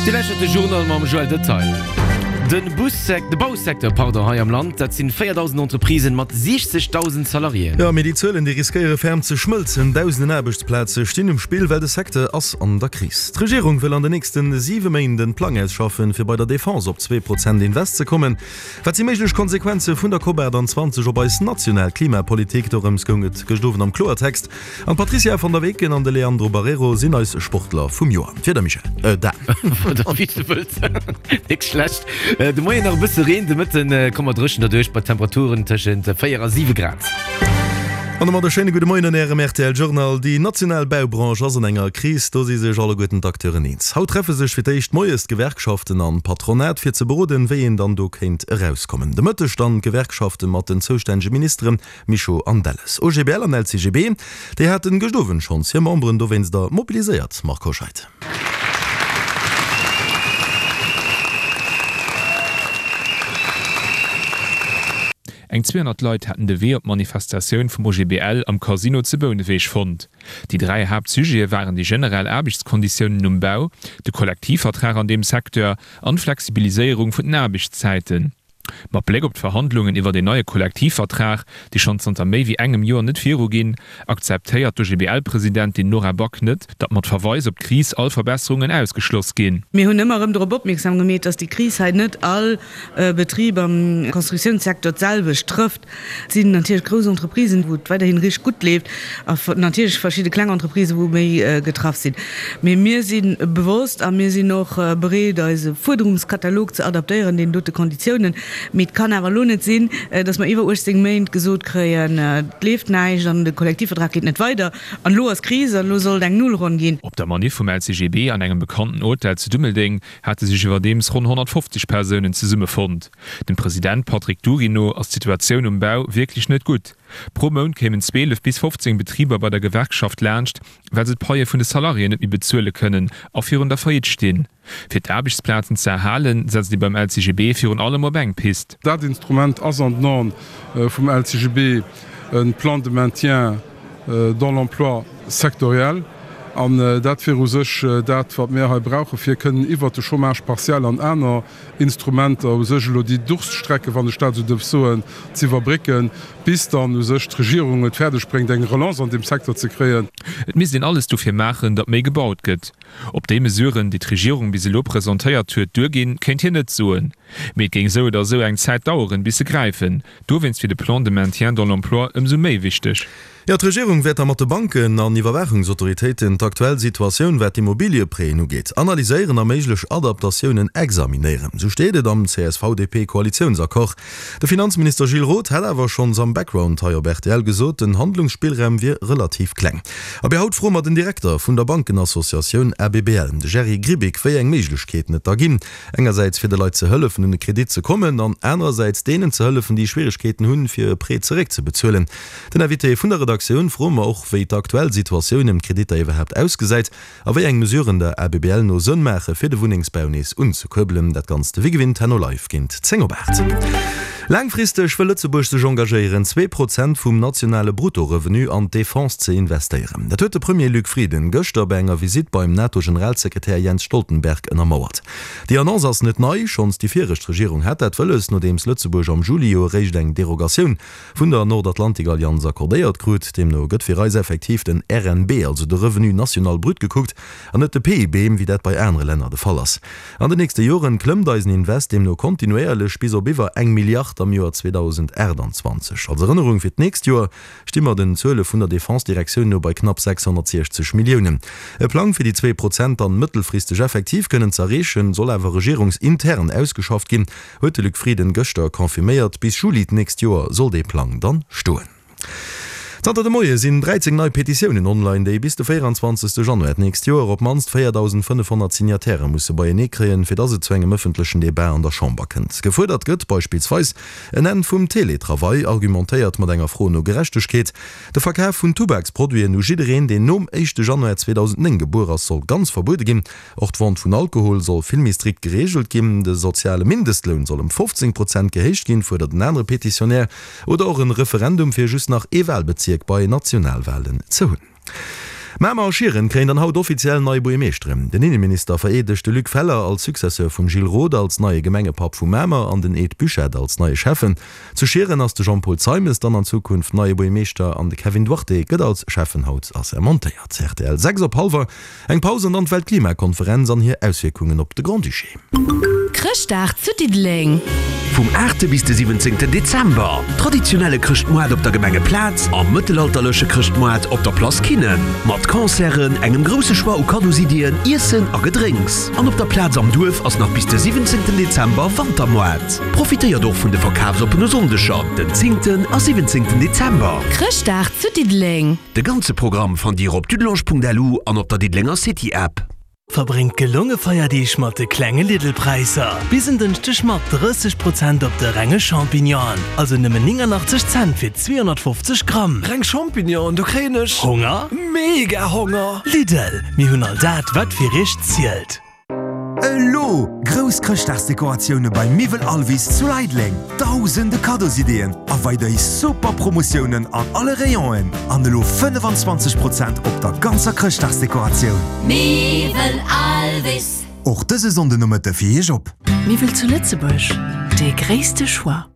Dir lauschtert de Journal mam Joël Detail. De Bussec, de Bausecteur, pardon, hei am Land, dat sinn 4.000 Entreprisen mat 60.000 Salariéen. Jo, mee déi Zuelen, déi riskéiere ferm ze schmëlzen. Dausenden Aarbechtsplaze stinn um Spill, well de Secteur ass an der Kris. D'Regierung wëll an den nächste siwe Méint en Plang ausschaffen, fir bei der Defense op 2 Prozent Invest ze kommen. Wat si méiglech Konsequenze vun der COP28 op eis national Klimapolitik? Dorëms goung et gëscht Owend am Kloertext. An d'Patricia van der Weken an de Leandro Barreiro sinn eis Sportler vum Joer. D'Wieder, Michel, äh, Dan. Oder wéi s de wëlls. Nik schlecht. De Moien nach e bësse Reen, de Mëtten komme mer dréchen derduerch bei Temperaturen tëschent 4 a 7 Grad. An domat e schéine gudde Moien an Ärem rtl Journal. Déi national Baubranche ass an enger Kris, do si sech alleguerten d'Acteuren eens. Haut treffe sech fir d'éischt moies d'Gewerkschaften an d'Patronat fir ze beroden, wéi een dann do kéint erauskommen. De Mëtteg dann d'Gewerkschafte mat den zoustännege Ministeren Mischo an Delles. OGBL an LCGB, déi haten gëscht Owend schonns hir Memberen dowéinster mobiliséiert. Marc Hoscheid. Eng 200 Leit haten de Wee op d'Manifestatioun vum OGBL am Casino zu Bouneweg fonnt. Déi 3 Haaptsujete waren déi generell Aarbechtskonditiounen um Bau, de Kollektivvertrag an deem Secteur an d'Flexibiliséierung vun den Aarbechtszäiten. Mat Bléck op d'Verhandlungen iwwert een neie Kollektivvertrag, déi schonn zanter méi wéi engem Joer net viruginn, akzeptéiert d'OGBL-Presidentin Nora Back net, datt mat Verweis op d'Kris all Verbesserungen ausgeschloss ginn. Mir hunn ëmmer erëm dorop opmierksam gemeet, datt déi Kris hei net all Betrib am Constructiounssektor d'selwecht trëfft. Et sinn natierlech grouss Entreprisen, wou et weiderhin richteg gutt leeft, a natierlech verschidde kleng Entreprisen, wou méi getraff sinn. Mee mir si bewosst a mir sinn och bereet, eise Fuerderungskatalog ze adaptéieren deenen dote Konditiounen. Mee et kann awer elo net sinn, datt mer iwwer 18 Méint gesot kréien, et leeft näischt an de Kollektivvertrag geet net weider an elo ass Kris an elo soll et eng Nullronn ginn. Op der Maniff vum LCGB an engem bekannten Hotel zu Dummeldeng hate sech iwwerdeems ronn 150 Persounen zesummefonnt. Dem President Patrick Dury no ass d'Situatioun um Bau wierklech net gutt. Pro Mount kéimen 12 bis 15 Betriber bei der Gewerkschaft laanscht, well se d'Paie vun de Salariéen net méi bezuele kënnen a virun der Faillite stinn. Fir d'Aarbechtsplazen ze erhalen, setzt ee beim LCGB virun allem op eng Pist. Dat Instrument ass an den Aen vum LCGB e Plan de maintien dans l'emploi sectoriel. An dat wier u sech dat, wat mir hei brauchen, fir kënnen iwwert de Chômage partiel an aner Instrumenter u sech elo déi Durststrecke, wann ech dat esou duerf soen, z'iwwerbrécken, bis dann u sech d'Regierung et fäerdeg bréngt, eng Relance an deem Secteur ze kréien. Et misst een alles dofir maachen, datt méi gebaut gëtt. Ob déi Mesuren, déi d'Regierung bis elo presentéiert huet, duerginn, kéint hien net soen. Mee et géing esou oder esou eng Zäit daueren, bis se gräifen. Dowéinst wier de Plan de maintien dans l'emploi ëmsou méi wichteg. Jo, d'Regierung wäert da mat de Banken an Iwwerwaachungsautoritéiten d'aktuell Situatioun, wat d'Immobilieprêten ugeet, analyséieren a méiglech Adaptatiounen examinéieren. Sou steet et am CSV-DP-Koalitiounsaccord. De Finanzminister Gilles Roth hat awer schonns am Background hei op rtl gesot, den Handlungsspillraum wier relativ kleng. Abee, haut froe mer den Direkter vun der Bankenassociatioun ABBL, de Jerry Grbic, wéi eng Méiglechkeeten et da ginn, engersäits fir de Leit ze hëllefen un e Kredit ze kommen an anerersäits deenen ze hëllefen, déi Schwieregkeeten hunn, fir e Prêt zeréckzebezuelen. Den Invité vun der Redaktioun froe mer och, wéi d'aktuell Situatioun ëm d'Kreditter iwwerhaapt ausgesäit a wéi eng Mesuren der ABBL no Sënn maache fir de Wunnengsbau nees unzekuerbelen. Dat Ganzt wéi gewinnt herno live géint 10 op 8. Laangfristeg wëll Lëtzebuerg sech engagéieren, 2% vum nationale Brutto-Revenu an d'Defense ze investéieren. Dat huet de Premier Luc Frieden gëschter bei enger Visitt beim NATO-Generalsekretär Jens Stoltenberg ënnermauert. Déi Annonce ass net nei, schonns déi viregt Regierung hat dat wëlles, nodeems Lëtzebuerg am Juli jo eréischt eng Derogatioun vun der Nordatlantikallianz accordéiert krut. Deemno gëtt fir eis effektiv den RNB, also de Revenu national brut gekuckt, an net de PIB, wéi dat bei anere Länner de Fall ass. An den nächste Joren klëmmt eisen Invest deemno kontinuéierlech bis op iwwer eng Milliard am Joer 2028. Als Erënnerung, fir d'nächst Joer sti mer den Zuele vun der Defense-Direktioun no bei knapp 660 Milliounen. E Plang fir déi 2% dann mëttelfristeg effektiv kënnen z'erreechen, soll awer regierungsintern ausgeschafft ginn. Huet de Luc Frieden gëschter confirméiert. Bis Juli d'nächst Joer soll dee Plang dann stoen. Zanter de Moie sinn 13 nei Petitiounen online, déi bis de 24 Januar d'nächst Joer op d'mannst 4.500 Signataire musse beienee kréien, fir dass et zu engem ëffentlechen Debat an der Chamber kënnt. Gefuerdert gëtt beispillsweis en Enn vum Teletravail, argumentéiert mat enger Fro no Gerechtegkeet. De Verkaf vun Tubaksproduiten u jiddereen, deen nom éischte Januar 2009 gebuer ass, soll ganz verbuede ginn. Och d'Vente vun Alkohol soll vill méi strikt gereegelt ginn. De soziale Mindestloun soll ëm 15 Prozent gehéicht ginn, fuerdert en anere Petitionär. Oder och en Referendum fir just nach ee Walbezierk bei Nationalwalen ze hunn. Mamer a Schieren kréien dann haut offiziell nei Buergermeeschteren. Den Inneminister vereedegt de Luc Feller als Successeur vum Gilles Roth als neie Gemengepapp vu Mamer an den Ed Buchette als neie Schäffen. Zu Schieren ass de Jean-Paul Zeimes dann an Zukunft neie Buergermeeschter an de Kevin Duarte gëtt als Schäffen haut assermentéiert. Rtl 6 op hallwer Eng Paus an dann d'Weltklimakonferenz an hir Auswierkungen op de Grand-Duché. Chrëschtdag zu Diddeleng. Vum 8 bis de 17 Dezember, Traditionelle Chrëschtmoart op der Gemengeplaz a mëttelalterleche Chrëschtmoart op der Place Kinnen. Mat Concerten, engem grousse Choix u Kaddosiddien, Iessen a Gedrénks. An op der Plaz am Duerf ass nach bis de 17 Dezember Wantermoart. Profitéiert och vun de verkafsoppene Sonndeger, den 10 a 17 Dezember. Chrëschtdag zu Diddeleng. De ganze Programm fannt Dir op dudelange.lu an op der Diddelenger City App. Verbréngt gelonge Feierdeeg mat de klenge Lidl-Präisser. Bis en Dënschdeg mat 30 Prozent op de renge Champignonen, also nëmmen 89 Cent fir 250 Gramm. Reng Champignonen, do kréien ech Honger? Mega Honger! Lidl, mir hunn all dat, wat fir iech zielt. Elo grouss Chrëschtdagsdekoratioune bei Miwwel Alvis zu Leideleng, dausende Kaddosideeën a weiderhi super Promotiounen an alle Rayonen an elo 25 Prozent op der ganzer Chrëschtdagsdekoratioun. Miwwel Alvis. Och dëse Sonndenomëtte fir Iech op. Miwwel zu Lëtzebuerg, dee gréisste Choix.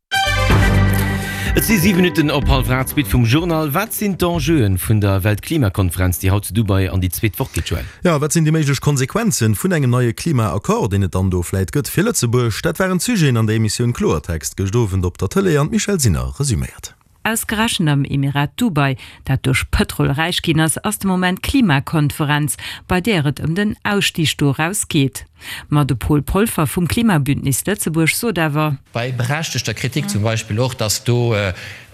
Et si 7 Minutten op hallwer 8, d'Suite vum Journal. Wat sinn d'Enjeuen vun der Weltklimakonferenz, déi haut zu Dubai an déi zweet Woch geet, Joël? Jo, wat sinn déi méiglech Konsequenzen vun engem neie Klima-Accord, deen et dann do vläit gëtt fir Lëtzebuerg? Dat waren d'Sujeten an der Emissioun Kloertext gëscht Owend op der Tëlee an d'Michèle Sinner resuméiert. Ausgerechent am Emirat Dubai, dat duerch Pëtrol räich ginn ass, ass de Moment d'Klimakonferenz, bei där et ëm den Ausstig doraus geet. Ma de Paul Polfer vum Klimabündnis Lëtzebuerg sot awer. Bei berechtegter Kritik zum Beispill och, dass do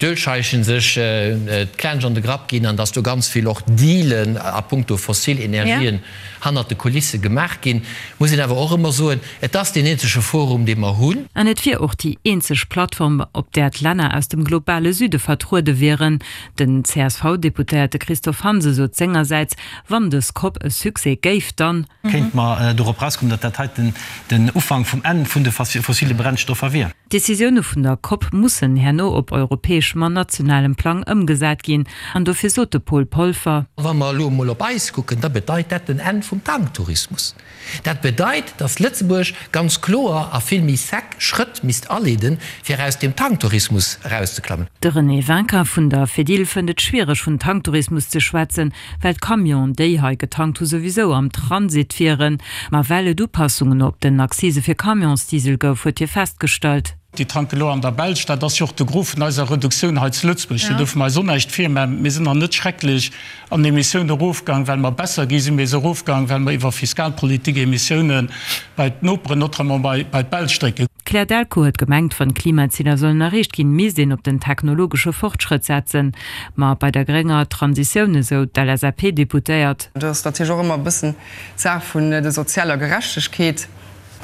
d'Ölscheichen sech d'Klensch an de Grapp ginn an dass do ganz vill och Dealen a puncto fossil Energien hannert de Kulisse gemaach ginn, muss een awer och ëmmer soen, et ass deen eenzege Forum, dee mer hunn. An et wier och déi eenzeg Plattform, op där d'Länner aus dem globale Süde vertruede wieren. Den CSV-Deputéierte Christophe Hansen sot sengersäits, wann dës Cop e Succès géif, dann. Kéinte mer dorop erauskommen, datt dat heiten den Ufank vum Enn vun de fossile Brennstoffer wier. D'Decisioune vun der Cop mussen herno op europäeschem an nationalem Plang ëmgesat ginn. An dofir sot de Paul Polfer. Wa mer elo emol op eis kucken, da bedeit dat den Enn vum Tanktourismus. Dat bedeit, datt Lëtzebuerg ganz kloer a vill méi sec Schrëtt misst aleeden, fir aus deem Tanktourismus erauszeklammen. De René Winkin vun der Fedil fënnt et schwiereg vun Tanktourismus ze schwätzen, well d'Camionen, déi hei getankt hu souwisou am Transit wieren. Ma well et Upassungen op den Accise fir Camionsdiesel gouf, huet hie festgestallt. Déi tanken elo an der Belsch. Dat ass jo och de Gros vun eiser Reduktioun hei zu Lëtzebuerg. Do duerfe mer eis och näischt virmaachen. Mir sinn nach net schrecklech an Emissioun erofgaang, well mer besser gi sinn. Mir si erofgaang, well mer iwwer Fiskalpolitik Emissiounen bei d'Noperen, notamment bei d'Belsch drécken. D'Claire Delcourt huet gemengt, wann d'Klimaziler sollen erreecht ginn, misst een op den technologesche Fortschrëtt setzen. Ma bei der grénger Transitioun, esou d'LSAP-Deputéiert. Do ass natierlech och ëmmer e bëssen d'Saach vun der sozialer Gerechtegkeet.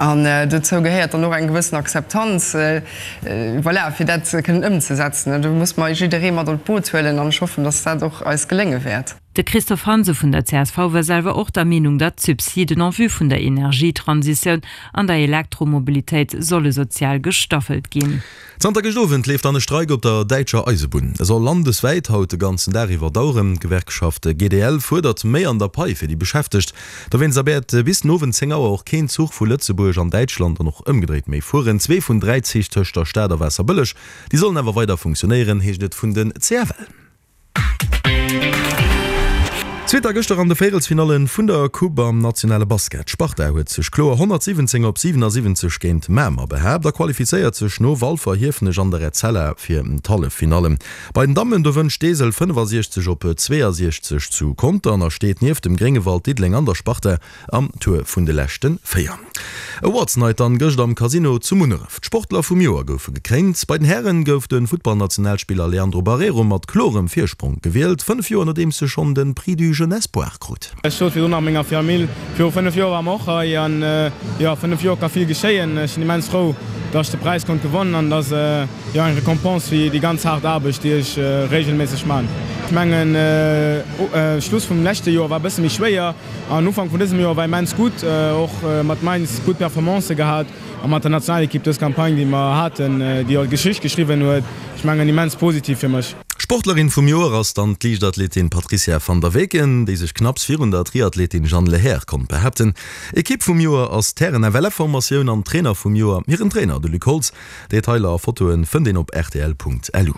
An dozou gehéiert dann och eng gewëssen Akzeptanz, voilà, fir dat kënnen ëmzesetzen. Do muss mer jidderee mat an d'Boot huelen an ech hoffen, dass dat och eis gelénge wäert. De Christophe Hansen vun der csv war selwer och der Meenung, datt d'Subsiden en vue vun der Energietransitioun an der Elektromobilitéit solle sozial gestaffelt ginn. Zanter gëscht Owend leeft dann e Streik op der däitscher Eisebunn. E soll landeswäit haut de ganzen Dag iwwer daueren. D'Gewerkschaft GDL fuerdert méi an der Pai fir déi Beschäftegt. Dowéinst wäert bis den Owend 10 Auer och keen Zuch vu Lëtzebuerg an Däitschland an och ëmgedréit méi fueren. Zwee vun 3 Zich tëscht der Stad a Waasserbëlleg, déi sollen awer weider funktionéieren, heescht et vun den CFL. Zweet da gëschter an de Véierelsfinalle vun der Coupe am nationale Basket. D'Sparta huet sech kloer 117 op 77 géint Mamer behaapt a qualifizéiert sech no Walfer, Hiefenech an der Etzella fir d'Halleffinallen. Bei den Dammen do wënnt Steesel 65 op 62 zu Contern a steet nieft dem Gréngewald, Diddeleng an der Sparta am Tour vun de leschte 4. Awards Night dann gëscht am Casino zu Munneref. D'Sportler vum Joer goufe gekréint. Bei den Hären gouf de Futtballnationalspiller Leandro Barreiro mat klorem Virsprong gewielt, 5 Joer nodeems e schonn de Prix du Jeune Espoir krut. Ech sot virdrun nach menger Famill, viru 5 Joer ware mer och hei an jo, a 5 Joer ka vill geschéien. Ech sinn immens frou, dass ech de Präis konnt gewonnen an dass jo eng Récompense fir déi ganz haart Aarbecht, déi ech regelméisseg man. Ech mengen, Schluss vum leschte Joer war e bësse méi schwéier an Ufank vun dësem Joer war immens gutt, och mat Mainz gutt Performancë gehat a mat der Nationalekipp dës Campagne, déi mer haten, déi jo Geschicht geschriwwen huet, ech mengen immens positiv fir mech. Sportlerin vum Joer ass dann d'Liichtathletin Patricia van der Weken, déi sech knapps virun der Triathletin Jeanne Lehair konnt behaapten. Ekipp vum Joer ass d'Hären-FLF-Formatioun an Trainer vum Joer hiren Trainer, de Luc Holtz. Detailer a Fotoen fënnt een op rtl.lu.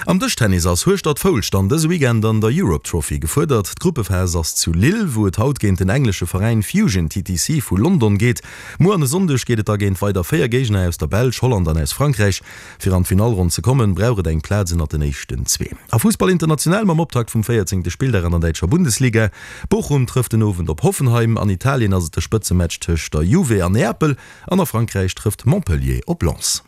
Am Dëschtennis ass Hueschtert-Foulscht dann dëse Weekend an der Europe Trophy gefuerdert. D'Gruppephas ass zu Lille, wou et haut géint den englesche Veräin Fusion TTC vu London geet. Muer an e Sonndeg geet et da géint weider 4 Géigner aus der Belsch, Holland an aus Frankräich. Fir an d'Finallronn ze kommen, brauch et eng Plaz ënnert den éischten zwee. A Fussball international mam Optakt vum 14. Spilldag an der däitscher Bundesliga. Bochum trëfft den Owend op Hoffenheim. An Italien ass et de Spëtzematch tëscht der Juve an Neapel. An a Frankräich trëfft Montpellier op Lens.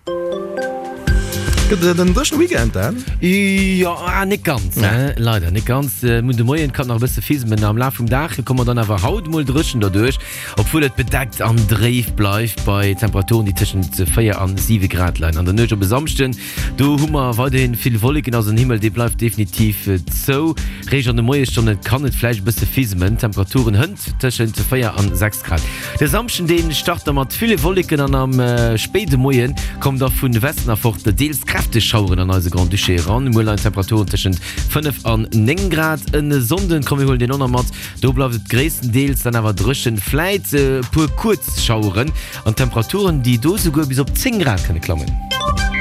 Gëtt et en dréchene Weekend, Dan? Jo, ah, net ganz, leider net ganz. Mir hunn de Moien kann nach e bësse fismen. Am Laf vum Dag komme mer dann awer haut mol dréchen derduerch, obwuel et bedeckt an dréif bleift bei Temperaturen, déi tëschent 4 an 7 Grad leien. An der Nuecht op e Samschden, do hu mer weiderhi vill Wolleken, also den Himmel, dee bleift definitiv zou. Réischt an de Moiesstonne kann et vläicht e bësse fismen. D'Temperaturen hënt tëschent 4 an 6 Grad. De Samschden deen start da mat ville Wolleken an am spéide Moie kommen da vun Westen erfort deels kräfteg Schaueren an eise Grand-Duché eran. Muer leien d'Temperaturen tëschent 5 an 9 Grad. En Sonnden, komm mir huelen deen och nach mat, do bleift et gréisstendeels dann awer dréchen, vläit e puer kuerz Schaueren an Temperaturen déi do souguer bis op 10 Grad kënne klammen.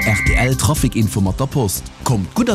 Rtl Trafic Info mat der Post. Kommt gutt a.